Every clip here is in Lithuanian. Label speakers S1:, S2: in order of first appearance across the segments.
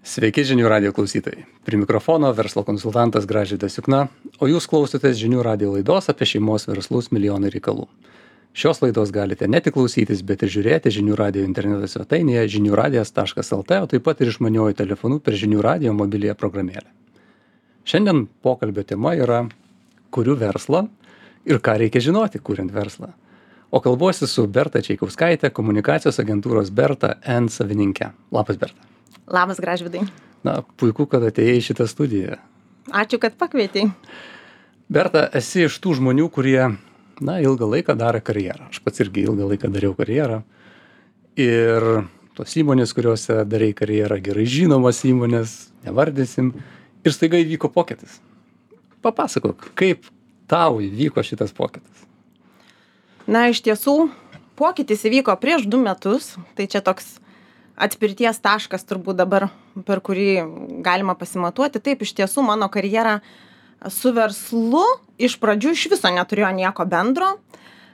S1: Sveiki žinių radio klausytojai. Prie mikrofono verslo konsultantas Gražvydas Jukna, o jūs klausotės žinių radio laidos apie šeimos verslus milijonai reikalų. Šios laidos galite ne tik klausytis, bet ir žiūrėti žinių radio interneto svetainėje žiniųradijas.lt, o taip pat ir išmaniuoju telefonu per žinių radio mobiliąją programėlę. Šiandien pokalbio tema yra kuriu verslą ir ką reikia žinoti, kuriant verslą. O kalbuosi su Berta Čeikauskaitė, komunikacijos agentūros Berta N savininke. Labas, Berta.
S2: Labas, Gražvydai.
S1: Na, puiku, kad atėjai į šitą studiją.
S2: Ačiū, kad pakvietei.
S1: Berta, esi iš tų žmonių, kurie, ilgą laiką darė karjerą. Aš pats irgi ilgą laiką dariau karjerą. Ir tos įmonės, kuriuose darai karjerą, gerai žinomas įmonės, nevardysim. Ir staiga įvyko pokytis. Papasakok, kaip tau įvyko šitas pokytis?
S2: Iš tiesų, pokytis įvyko prieš 2 metus. Tai čia toks atspirties taškas turbūt dabar, per kurį galima pasimatuoti. Taip, iš tiesų mano karjera su verslu iš pradžių iš viso neturėjo nieko bendro.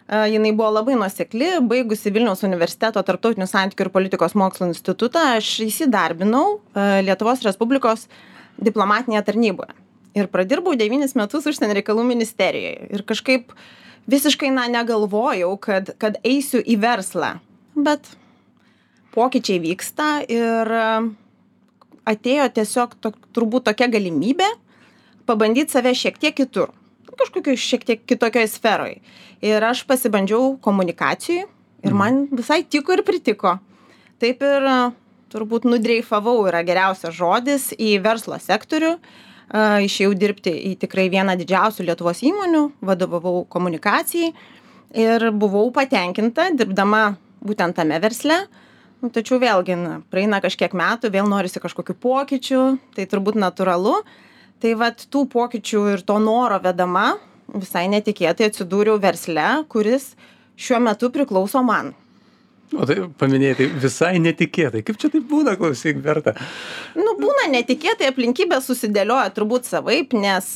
S2: Jinai buvo labai nuosekli. Baigusi Vilniaus universiteto tarptautinių santykių ir politikos mokslų institutą, aš įsidarbinau Lietuvos Respublikos diplomatinėje tarnyboje. Ir pradirbau 9 metus užsienio reikalų ministerijoje. Ir kažkaip visiškai negalvojau, kad eisiu į verslą. Bet pokyčiai vyksta ir atėjo tiesiog turbūt tokia galimybė pabandyti save šiek tiek kitur. Kažkokioj šiek tiek kitokioj sferoj. Ir aš pasibandžiau komunikacijai ir man visai tiko ir pritiko. Taip ir turbūt nudreifavau yra geriausias žodis į verslo sektorių. Išėjau dirbti į tikrai vieną didžiausių Lietuvos įmonių, vadovavau komunikacijai ir buvau patenkinta dirbdama būtent tame versle. Tačiau vėlgi, praeina kažkiek metų, vėl norisi kažkokių pokyčių, tai turbūt natūralu. Tai vat tų pokyčių ir to noro vedama visai netikėtai atsidūriau versle, kuris šiuo metu priklauso man.
S1: O tai paminėjai, tai visai netikėtai. Kaip čia taip būna, klausyk, Berta?
S2: Būna netikėtai, aplinkybės susidėlioja turbūt savaip, nes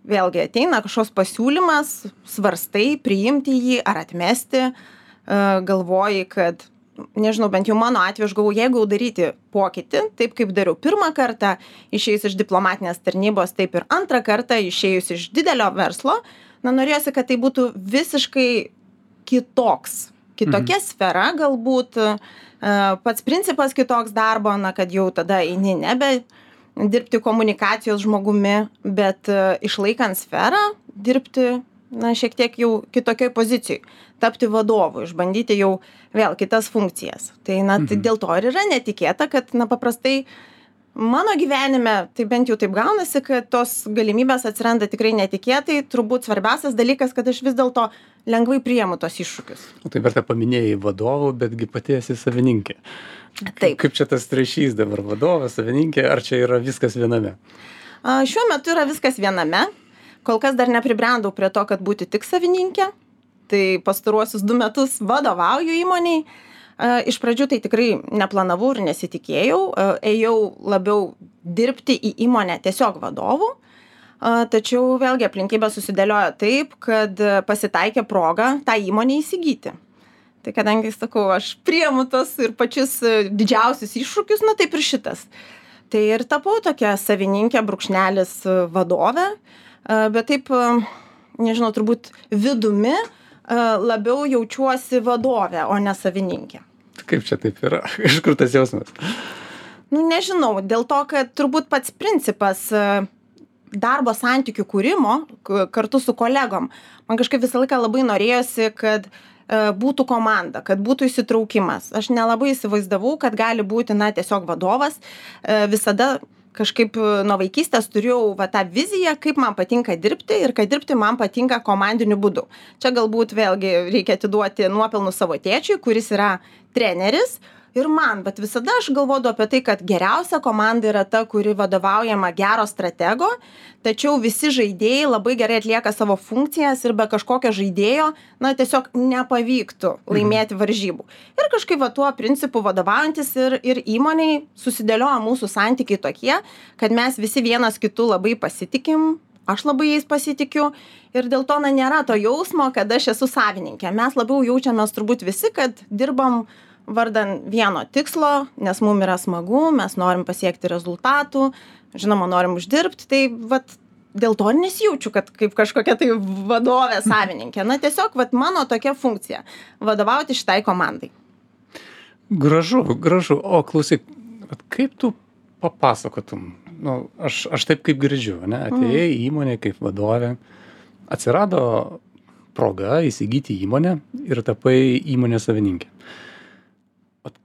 S2: vėlgi ateina kažkoks pasiūlymas, svarstai, priimti jį ar atmesti, galvoji, kad, nežinau, bent jau mano atveju aš galvoju, jeigu daryti pokytį, taip kaip dariau pirmą kartą, išėjus iš diplomatinės tarnybos, taip ir antrą kartą, išėjus iš didelio verslo, norėjosi, kad tai būtų visiškai kitokia sfera, galbūt pats principas kitoks darbo, kad jau tada eini nebe dirbti komunikacijos žmogumi, bet išlaikant sferą, dirbti šiek tiek jau kitokioj pozicijoj, tapti vadovu, išbandyti jau vėl kitas funkcijas. Tai dėl to ir yra netikėta, kad paprastai mano gyvenime, tai bent jau taip gaunasi, kad tos galimybės atsiranda tikrai netikėtai. Turbūt svarbiausias dalykas, kad aš vis dėlto lengvai priimu tos iššūkius.
S1: Tai Berta paminėjai vadovų, betgi pati esi savininkė.
S2: Taip.
S1: Kaip čia tas ryšys dabar vadovas, savininkė, ar čia yra viskas viename?
S2: Šiuo metu yra viskas viename. Kol kas dar nepribrendau prie to, kad būti tik savininkė. Tai pastaruosius 2 metus vadovauju įmoniai. Iš pradžių tai tikrai neplanavau ir nesitikėjau. Ėjau labiau dirbti į įmonę tiesiog vadovų. Tačiau vėlgi aplinkybės susidėliojo taip, kad pasitaikė proga tą įmonę įsigyti. Tai kadangi, sakau, aš priimu tos ir pačius didžiausius iššūkius, taip ir šitas. Tai ir tapau tokia savininkė brūkšnelis vadovė, bet taip, nežinau, turbūt vidumi labiau jaučiuosi vadovė, o ne savininkė.
S1: Kaip čia taip yra? Iš kur tas jausmas?
S2: Nežinau, dėl to, kad turbūt pats principas darbo santykių kūrimo kartu su kolegom. Man kažkaip visą laiką labai norėjosi, kad būtų komanda, kad būtų įsitraukimas. Aš nelabai įsivaizdavau, kad gali būti tiesiog vadovas. Visada kažkaip nuo vaikystės turėjau tą viziją, kaip man patinka dirbti ir kad dirbti man patinka komandiniu būdu. Čia galbūt vėlgi reikia atiduoti nuopelnus savo tėčiui, kuris yra treneris. Ir man, bet visada aš galvodavau apie tai, kad geriausia komanda yra ta, kuri vadovaujama gero stratego, tačiau visi žaidėjai labai gerai atlieka savo funkcijas ir be kažkokio žaidėjo, tiesiog nepavyktų laimėti varžybų. Ir kažkaip tuo principu vadovaujantis ir įmoniai susidėlioja mūsų santykiai tokie, kad mes visi vienas kitu labai pasitikim, aš labai jais pasitikiu ir dėl to nėra to jausmo, kad aš esu savininkė. Mes labiau jaučiamės turbūt visi, kad dirbam vardan vieno tikslo, nes mum yra smagu, mes norim pasiekti rezultatų, žinoma, norim uždirbti, tai vat dėl to ir nesijaučiu, kad kaip kažkokia tai vadovė, savininkė. Na tiesiog vat mano tokia funkcija - vadovauti šitai komandai.
S1: Gražu, gražu. O klausyk, kaip tu papasakotum? Nu, aš taip kaip girdžiu, ne? Atėjai į įmonę kaip vadovė, atsirado proga įsigyti įmonę ir tapai įmonės savininkė.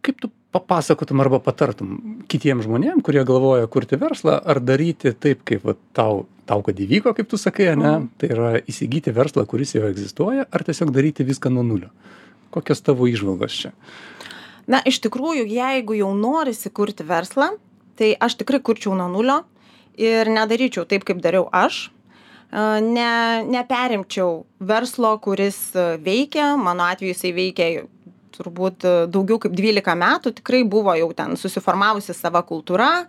S1: Kaip tu papasakotum arba patartum kitiem žmonėm, kurie galvoja kurti verslą, ar daryti taip, kaip va, tau kad įvyko, kaip tu sakai, ne? Tai yra įsigyti verslą, kuris jau egzistuoja, ar tiesiog daryti viską nuo nulio? Kokios tavo įžvalgos čia?
S2: Na, iš tikrųjų, jeigu jau norisi kurti verslą, tai aš tikrai kurčiau nuo nulio ir nedaryčiau taip, kaip dariau aš. Neperimčiau verslo, kuris veikia, mano atveju jisai veikia turbūt daugiau kaip 12 metų, tikrai buvo jau ten susiformavusi sava kultūra,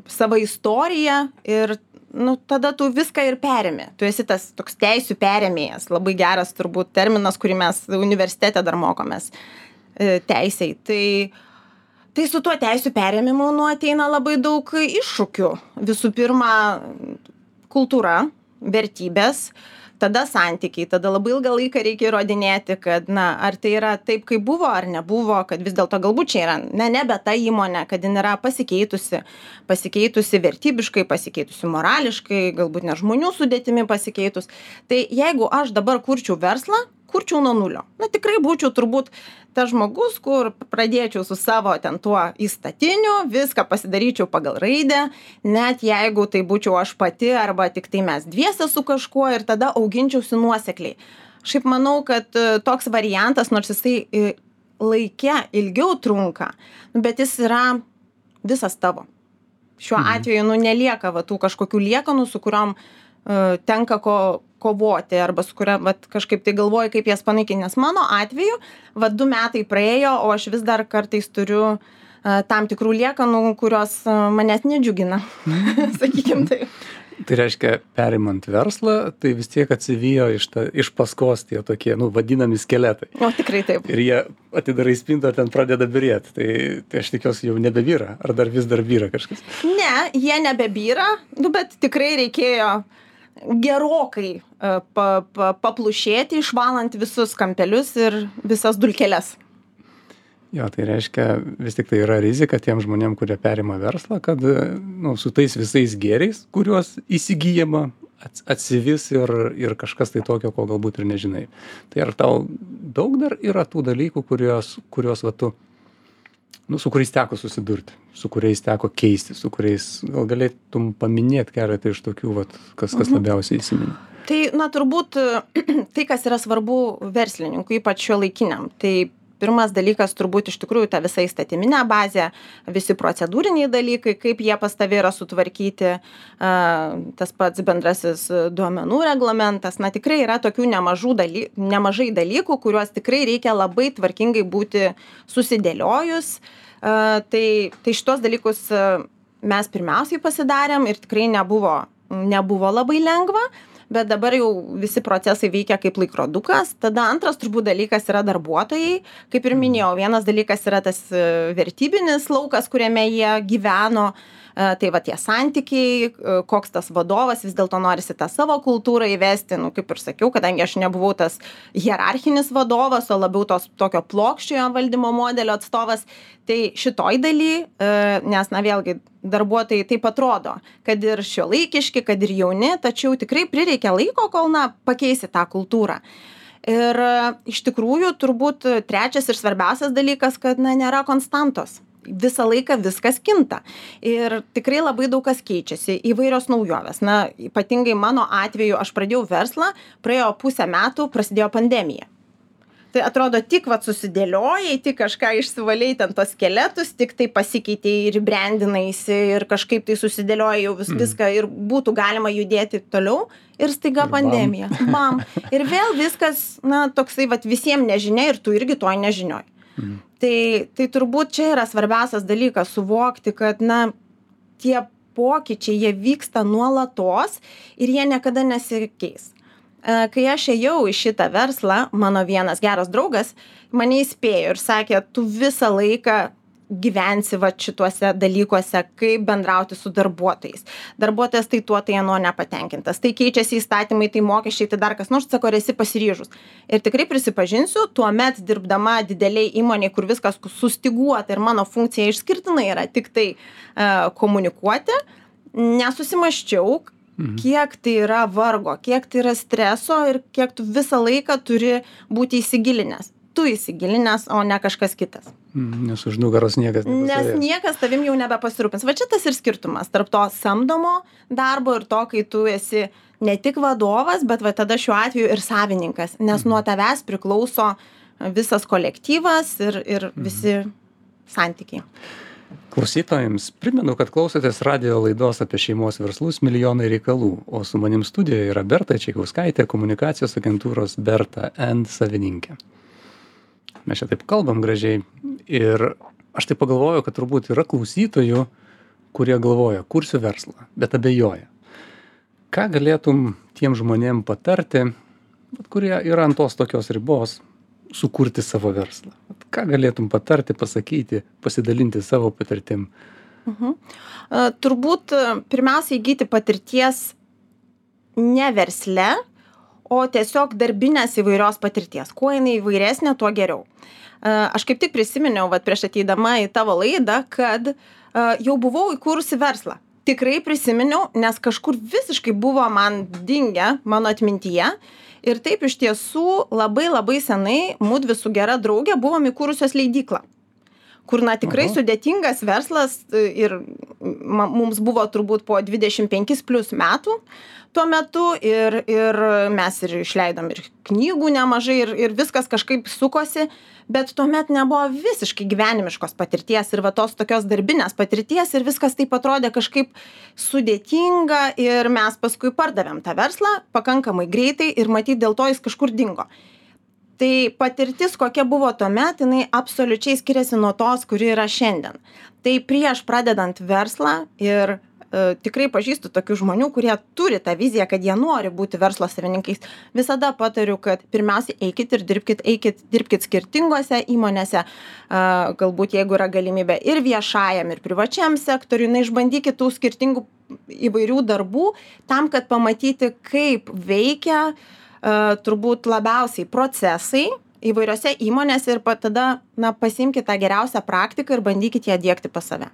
S2: sava istorija ir tada tu viską ir perimi. Tu esi tas toks teisių perėmėjas, labai geras turbūt terminas, kurį mes universitete dar mokomės teisiai. Tai su tuo teisių perėmimu ateina labai daug iššūkių. Visų pirma, kultūra, vertybės, tada santykiai, tada labai ilgą laiką reikia įrodinėti, kad, ar tai yra taip, kaip buvo, ar nebuvo, kad vis dėlto galbūt čia yra, nebe ta įmonė, kad jin yra pasikeitusi vertybiškai, pasikeitusi morališkai, galbūt ne žmonių sudėtimi pasikeitus. Tai jeigu aš dabar kurčiau verslą, kurčiau nuo nulio. Tikrai būčiau turbūt tas žmogus, kur pradėčiau su savo ten tuo įstatiniu, viską pasidaryčiau pagal raidę, net jeigu tai būčiau aš pati arba tik tai mes dviese su kažkuo ir tada auginčiausi nuosekliai. Šiaip manau, kad toks variantas, nors jisai laike ilgiau trunka, bet jis yra visas tavo. Šiuo atveju nelieka tų kažkokių liekanų, su kuriom tenka kovoti arba su kuria kažkaip tai galvoju, kaip jas panaikinti. Nes mano atveju 2 metai praėjo, o aš vis dar kartais turiu tam tikrų liekanų, kurios manęs nedžiugina, sakykim taip.
S1: Tai reiškia, perimant verslą, tai vis tiek atsivijo iš paskos tie tokie, vadinami skeletai.
S2: O tikrai taip.
S1: Ir jie atidarai spintą, ten pradeda byrėti. Tai aš tikiuosi jau nebebyra, ar dar vis dar byra kažkas?
S2: Ne, jie nebebyra, bet tikrai reikėjo gerokai paplušėti, išvalant visus kampelius ir visas dulkeles.
S1: Jo, tai reiškia, vis tik tai yra rizika tiem žmonėm, kurie perima verslą, kad su tais visais gėriais, kuriuos įsigyjama, atsivis ir kažkas tai tokio, ko galbūt ir nežinai. Tai ar tau daug dar yra tų dalykų, kurios tu, su kuriais teko susidurti, su kuriais teko keisti, su kuriais gal galėtum paminėti keletą iš tokių, kas labiausiai įsiminė?
S2: Tai, turbūt tai, kas yra svarbu verslininkui, ypač šiuolaikiniam, tai pirmas dalykas turbūt iš tikrųjų ta visa įstatyminė bazė, visi procedūriniai dalykai, kaip jie pas tave yra sutvarkyti, tas pats bendrasis duomenų reglamentas. Tikrai yra tokių nemažai dalykų, kuriuos tikrai reikia labai tvarkingai būti susidėliojus. Tai šitos dalykus mes pirmiausiai pasidarėm ir tikrai nebuvo labai lengva. Bet dabar jau visi procesai veikia kaip laikrodukas. Tada antras turbūt dalykas yra darbuotojai. Kaip ir minėjau, vienas dalykas yra tas vertybinis laukas, kuriame jie gyveno. Tai tie santykiai, koks tas vadovas, vis dėlto norisi tą savo kultūrą įvesti, kaip ir sakiau, kadangi aš nebuvau tas hierarchinis vadovas, o labiau tokio plokščiojo valdymo modelio atstovas, tai šitoj daly, nes vėlgi darbuotojai taip atrodo, kad ir šiuolaikiški, kad ir jauni, tačiau tikrai prireikia laiko, kol pakeisi tą kultūrą. Ir iš tikrųjų turbūt trečias ir svarbiausias dalykas, kad nėra konstantos. Visą laiką viskas kinta. Ir tikrai labai daug kas keičiasi, įvairios naujovės. Ypatingai mano atveju aš pradėjau verslą, praėjo 5 metų, prasidėjo pandemija. Tai atrodo, tik susidėliojai, tik kažką išsivaliai ten tos skeletus, tik tai pasikeitėjai ir brandinaisi ir kažkaip tai susidėliojai jau viską ir būtų galima judėti toliau. Ir staiga pandemija. Bam. Ir vėl viskas, toksai visiems nežinia ir tu irgi toj nežinioj. Tai turbūt čia yra svarbiausias dalykas suvokti, kad tie pokyčiai, jie vyksta nuolatos ir jie niekada nesikeis. Kai aš ėjau į šitą verslą, mano vienas geras draugas mane įspėjo ir sakė, tu visą laiką gyvensi va šituose dalykuose, kaip bendrauti su darbuotojais. Darbuotojas tai tuo, tai ano nepatenkintas. Tai keičiasi įstatymai, tai mokesčiai, tai dar kas nors, sako, ar esi pasiryžus. Ir tikrai prisipažinsiu, tuomet dirbdama dideliai įmoniai, kur viskas sustiguota ir mano funkcija išskirtinai yra tik tai komunikuoti, nesusimaščiau, kiek tai yra vargo, kiek tai yra streso ir kiek tu visą laiką turi būti įsigilinęs. Tu įsigilinęs, o ne kažkas kitas.
S1: Nes už nugaros niekas nepastovės.
S2: Nes niekas tavim jau nebepasirūpins. Va čia tas ir skirtumas tarp to samdomo darbo ir to, kai tu esi ne tik vadovas, bet va tada šiuo atveju ir savininkas. Nes nuo tavęs priklauso visas kolektyvas ir visi santykiai.
S1: Klausytojams primenu, kad klausotės radijo laidos apie šeimos verslus Milijonai reikalų, o su manim studijoje yra Berta Čaikauskaitė, komunikacijos agentūros Berta N savininkė. Mes čia taip kalbam gražiai ir aš taip pagalvoju, kad turbūt yra klausytojų, kurie galvoja, kursiu verslą, bet abejoja. Ką galėtum tiem žmonėm patarti, kurie yra ant tos tokios ribos, sukurti savo verslą? Ką galėtum patarti, pasakyti, pasidalinti savo patirtim?
S2: Turbūt pirmiausia įgyti patirties ne versle, o tiesiog darbinės įvairios patirties. Kuo jinai įvairesnė, tuo geriau. Aš kaip tik prisiminiau, prieš ateidama į tavo laidą, kad jau buvau įkūrusi verslą. Tikrai prisiminiau, nes kažkur visiškai buvo man dingę mano atmintyje. Ir taip iš tiesų labai labai senai mudvi su gera draugė buvom įkūrusios leidyklą. Kur tikrai sudėtingas verslas ir mums buvo turbūt po 25 plus metų tuo metu ir mes ir išleidom ir knygų nemažai ir viskas kažkaip sukosi, bet tuomet nebuvo visiškai gyvenimiškos patirties ir va tos tokios darbinės patirties ir viskas taip atrodė kažkaip sudėtinga ir mes paskui pardavėm tą verslą pakankamai greitai ir matyt dėl to jis kažkur dingo. Tai patirtis, kokia buvo tuomet, jinai absoliučiai skiriasi nuo tos, kuri yra šiandien. Tai prieš pradedant verslą ir tikrai pažįstu tokių žmonių, kurie turi tą viziją, kad jie nori būti verslo savininkais. Visada patariu, kad pirmiausia eikit ir dirbkit skirtingose įmonėse, galbūt jeigu yra galimybė ir viešajam, ir privačiam sektoriui, išbandykit tų skirtingų įvairių darbų, tam, kad pamatyti, kaip veikia turbūt labiausiai procesai įvairiose įmonėse ir tada pasiimkit tą geriausią praktiką ir bandykit ją diegti pas save.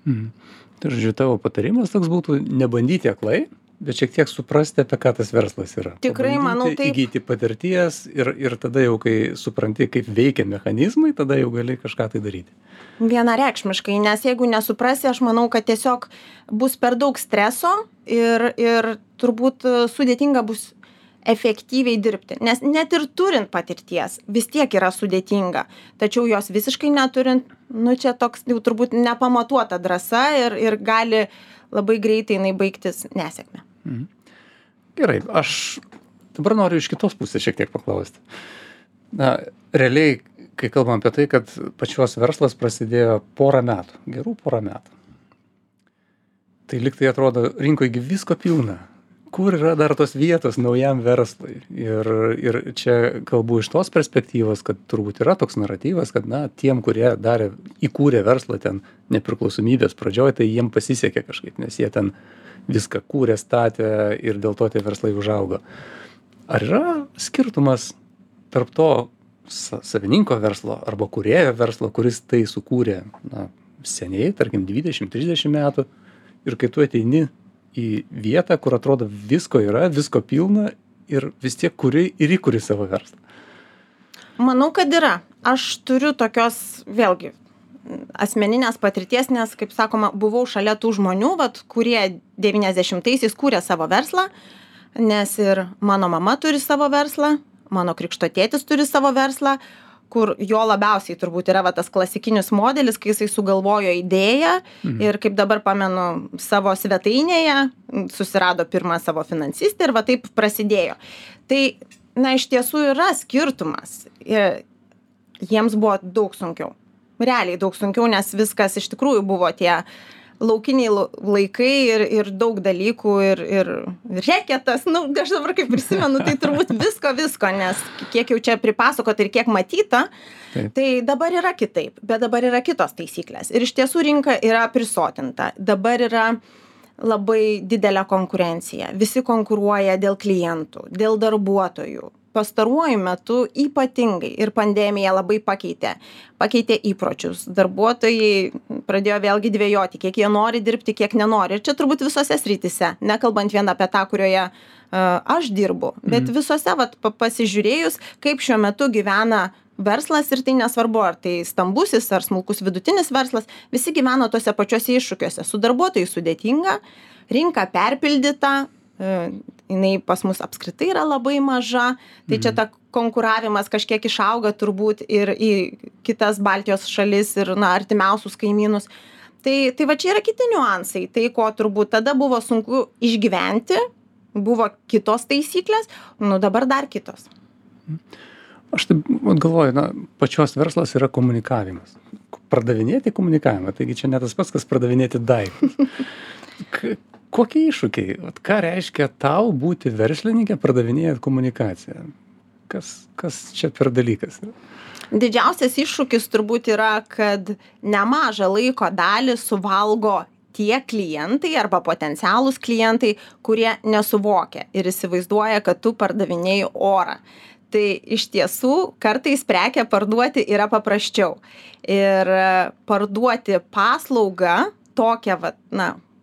S1: Tai žodžiu, tavo patarimas toks būtų nebandyti aklai, bet šiek tiek suprasti, apie ką tas verslas yra.
S2: Tikrai, manau, taip.
S1: Įgyti patirties ir tada jau, kai supranti, kaip veikia mechanizmai, tada jau gali kažką tai daryti.
S2: Vienareikšmiškai, nes jeigu nesuprasi, aš manau, kad tiesiog bus per daug streso ir turbūt sudėtinga bus efektyviai dirbti, nes net ir turint patirties vis tiek yra sudėtinga, tačiau jos visiškai neturint, čia toks jau turbūt nepamatuota drąsa ir gali labai greitai jinai baigtis nesėkme.
S1: Gerai, aš dabar noriu iš kitos pusės šiek tiek paklausti. Realiai, kai kalbam apie tai, kad pačios verslas prasidėjo gerų porą metų. Tai lyg tai atrodo, rinkoje visko pilna. Kur yra dar tos vietos naujam verslui? Ir čia kalbu iš tos perspektyvos, kad turbūt yra toks naratyvas, kad tiem, kurie įkūrė verslą ten nepriklausomybės pradžioje, tai jiem pasisekė kažkaip, nes jie ten viską kūrė, statė ir dėl to tie verslai užaugo. Ar yra skirtumas tarp to savininko verslo arba kūrėjo verslo, kuris tai sukūrė seniai, tarkim 20-30 metų, ir kai tu ateini į vietą, kur atrodo visko yra, visko pilna ir vis tiek įkuri savo verslą?
S2: Manau, kad yra. Aš turiu tokios, vėlgi, asmeninės patirties, nes, kaip sakoma, buvau šalia tų žmonių, kurie 90-aisiais kūrė savo verslą, nes ir mano mama turi savo verslą, mano krikšto tėtis turi savo verslą, kur jo labiausiai turbūt yra tas klasikinis modelis, kai jisai sugalvojo idėją ir kaip dabar pamenu savo svetainėje, susirado pirmą savo finansistę ir taip prasidėjo. Tai, iš tiesų yra skirtumas. Jiems buvo daug sunkiau. Realiai daug sunkiau, nes viskas iš tikrųjų buvo tie laukiniai laikai ir daug dalykų ir reketas, aš dabar kaip prisimenu, tai turbūt visko, nes kiek jau čia pripasakota ir kiek matyta, tai dabar yra kitaip, bet dabar yra kitos taisyklės. Ir iš tiesų rinka yra prisotinta. Dabar yra labai didelė konkurencija. Visi konkuruoja dėl klientų, dėl darbuotojų. Pastaruoju metu ypatingai ir pandemija labai pakeitė įpročius. Darbuotojai pradėjo vėlgi dvejoti, kiek jie nori dirbti, kiek nenori. Ir čia turbūt visose srityse, nekalbant vien apie tą, kurioje aš dirbu, bet visose pasižiūrėjus, kaip šiuo metu gyvena verslas ir tai nesvarbu, ar tai stambusis ar smulkus vidutinis verslas, visi gyvena tose pačiose iššūkiuose. Su darbuotojais sudėtinga, rinka perpildyta, jinai pas mus apskritai yra labai maža, tai čia ta konkuravimas kažkiek išauga turbūt ir į kitas Baltijos šalis ir artimiausius kaimynus. Tai va čia yra kiti niuansai, tai ko turbūt tada buvo sunku išgyventi, buvo kitos taisyklės, dabar dar kitos.
S1: Aš taip galvoju, pačios verslas yra komunikavimas. Pardavinėti komunikavimą, taigi čia ne tas pats, kas pardavinėti daiktus. Kokie iššūkiai? Ką reiškia tau būti verslininkė pardavinėjant komunikaciją? Kas čia per dalykas?
S2: Didžiausias iššūkis turbūt yra, kad nemažą laiko dalį suvalgo tie klientai arba potencialūs klientai, kurie nesuvokia ir įsivaizduoja, kad tu pardavinėji orą. Tai iš tiesų kartais prekę parduoti yra paprasčiau. Ir parduoti paslaugą tokią,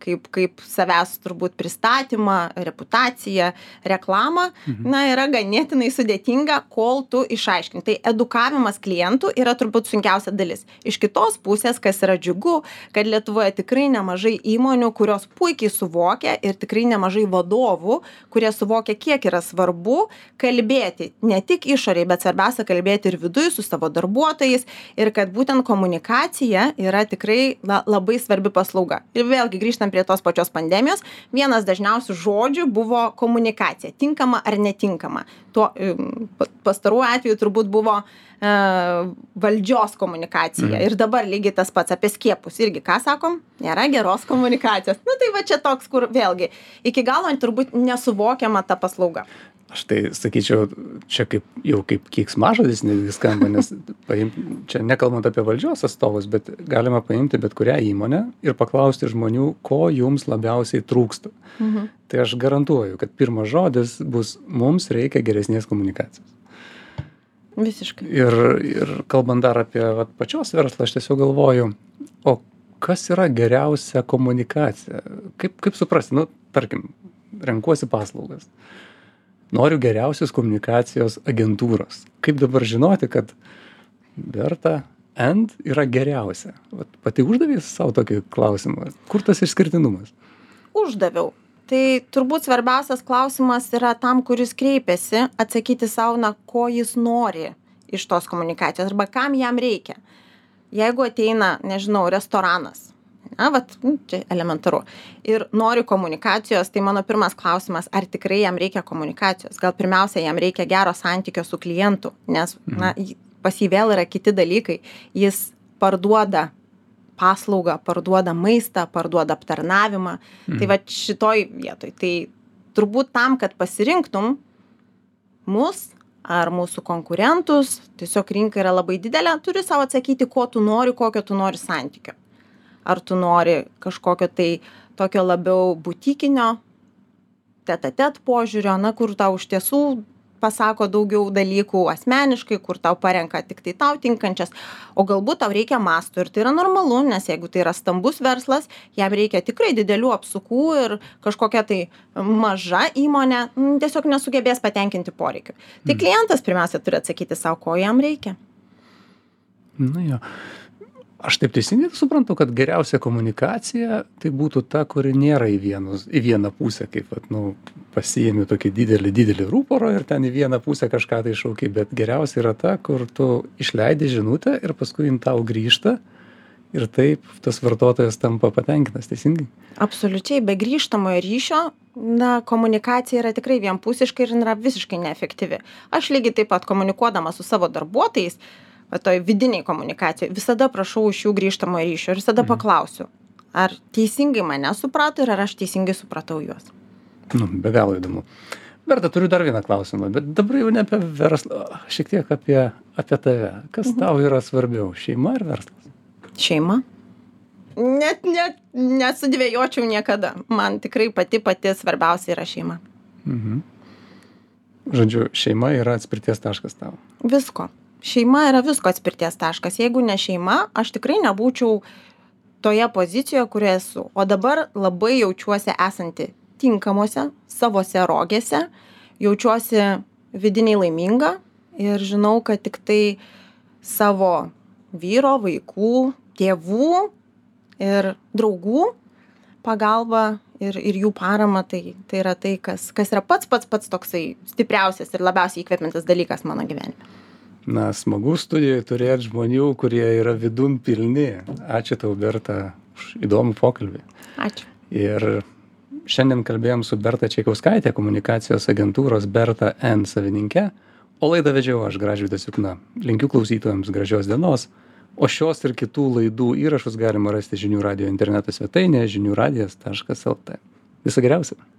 S2: kaip savęs turbūt pristatymą, reputaciją, reklamą, yra ganėtinai sudėtinga, kol tu išaiškini. Tai edukavimas klientų yra turbūt sunkiausia dalis. Iš kitos pusės, kas yra džiugu, kad Lietuvoje tikrai nemažai įmonių, kurios puikiai suvokia ir tikrai nemažai vadovų, kurie suvokia, kiek yra svarbu kalbėti ne tik išoriai, bet svarbiausia kalbėti ir viduje su savo darbuotojais ir kad būtent komunikacija yra tikrai labai svarbi paslauga. Ir vėlgi grįžtam prie tos pačios pandemijos, vienas dažniausių žodžių buvo komunikacija, tinkama ar netinkama. Tuo pastaruoju atveju turbūt buvo valdžios komunikacija. Ir dabar lygiai tas pats apie skiepus. Irgi, ką sakom? Nėra geros komunikacijos. Tai va čia toks, kur vėlgi iki galo turbūt nesuvokiama ta paslauga.
S1: Aš tai sakyčiau, čia kaip keiksmažodis netgi skamba, nes čia nekalbant apie valdžios atstovus, bet galima paimti bet kurią įmonę ir paklausti žmonių, ko jums labiausiai trūksta. Tai aš garantuoju, kad pirmas žodis bus, mums reikia geresnės komunikacijos.
S2: Visiškai.
S1: Ir kalbant dar apie pačios verslą, aš tiesiog galvoju, o kas yra geriausia komunikacija? Kaip suprasti? Tarkim, renkuosi paslaugas. Noriu geriausios komunikacijos agentūros. Kaip dabar žinoti, kad Berta End yra geriausia? Pati uždavė savo tokį klausimą. Kur tas išskirtinumas?
S2: Uždaviau. Tai turbūt svarbiausias klausimas yra tam, kuris kreipiasi, atsakyti savo, ko jis nori iš tos komunikacijos arba kam jam reikia. Jeigu ateina, restoranas, čia elementaru, ir nori komunikacijos, tai mano pirmas klausimas, ar tikrai jam reikia komunikacijos. Gal pirmiausia, jam reikia gero santykio su klientu, nes pas jį vėl yra kiti dalykai. Jis parduoda paslaugą, parduoda maistą, parduoda aptarnavimą. Tai va šitoj vietoj. Tai turbūt tam, kad pasirinktum mus ar mūsų konkurentus, tiesiog rinka yra labai didelė, turi savo atsakyti, ko tu nori, kokio tu nori santykio. Ar tu nori kažkokio tai tokio labiau butikinio, tet-a-tet požiūrio, kur tau iš tiesų pasako daugiau dalykų asmeniškai, kur tau parenka tik tai tau tinkančias, o galbūt tau reikia masto ir tai yra normalu, nes jeigu tai yra stambus verslas, jam reikia tikrai didelių apsukų ir kažkokia tai maža įmonė tiesiog nesugebės patenkinti poreikių. Tai klientas pirmiausia turi atsakyti savo, ko jam reikia.
S1: Jo. Aš taip teisingai suprantu, kad geriausia komunikacija tai būtų ta, kuri nėra į vieną pusę, kaip pasiėmi tokį didelį rūporą ir ten į vieną pusę kažką tai šauki, bet geriausia yra ta, kur tu išleidi žinutę ir paskui jin tau grįžta ir taip tas vartotojas tampa patenkintas, teisingai?
S2: Absoliučiai, be grįžtamojo ryšio, komunikacija yra tikrai vienpusiška ir yra visiškai neefektyvi. Aš lygiai taip pat komunikuodama su savo darbuotojais, toj vidiniai komunikacijai, visada prašau iš jų grįžtamojo ryšio ir visada paklausiu, ar teisingai mane suprato ir ar aš teisingai supratau juos.
S1: Be galo įdomu. Berta, turiu dar vieną klausimą, bet dabar jau ne apie verslą, šiek tiek apie tave. Kas tau yra svarbiau, šeima ar verslas?
S2: Šeima. Net nesudvėjočiau niekada. Man tikrai pati svarbiausia yra šeima.
S1: Žodžiu, šeima yra atspirties taškas tau.
S2: Visko. Šeima yra visko atspirties taškas. Jeigu ne šeima, aš tikrai nebūčiau toje pozicijoje, kurioje esu. O dabar labai jaučiuosi esanti tinkamuose savose rogėse, jaučiuosi vidiniai laiminga ir žinau, kad tik tai savo vyro, vaikų, tėvų ir draugų pagalba ir jų parama, tai yra tai, kas yra pats toksai stipriausias ir labiausiai įkvepiantis dalykas mano gyvenime.
S1: Na, smagu studijoje turėti žmonių, kurie yra vidun pilni. Ačiū tau, Berta, už įdomų pokalbį.
S2: Ačiū.
S1: Ir šiandien kalbėjom su Berta Čaikauskaitė, komunikacijos agentūros Berta N savininke, o laidą vedžiau aš, Gražvydas Jukna. Linkiu klausytojams gražios dienos, o šios ir kitų laidų įrašus galima rasti Žinių radijo interneto svetainėje žiniųradijas.lt. Viso geriausio.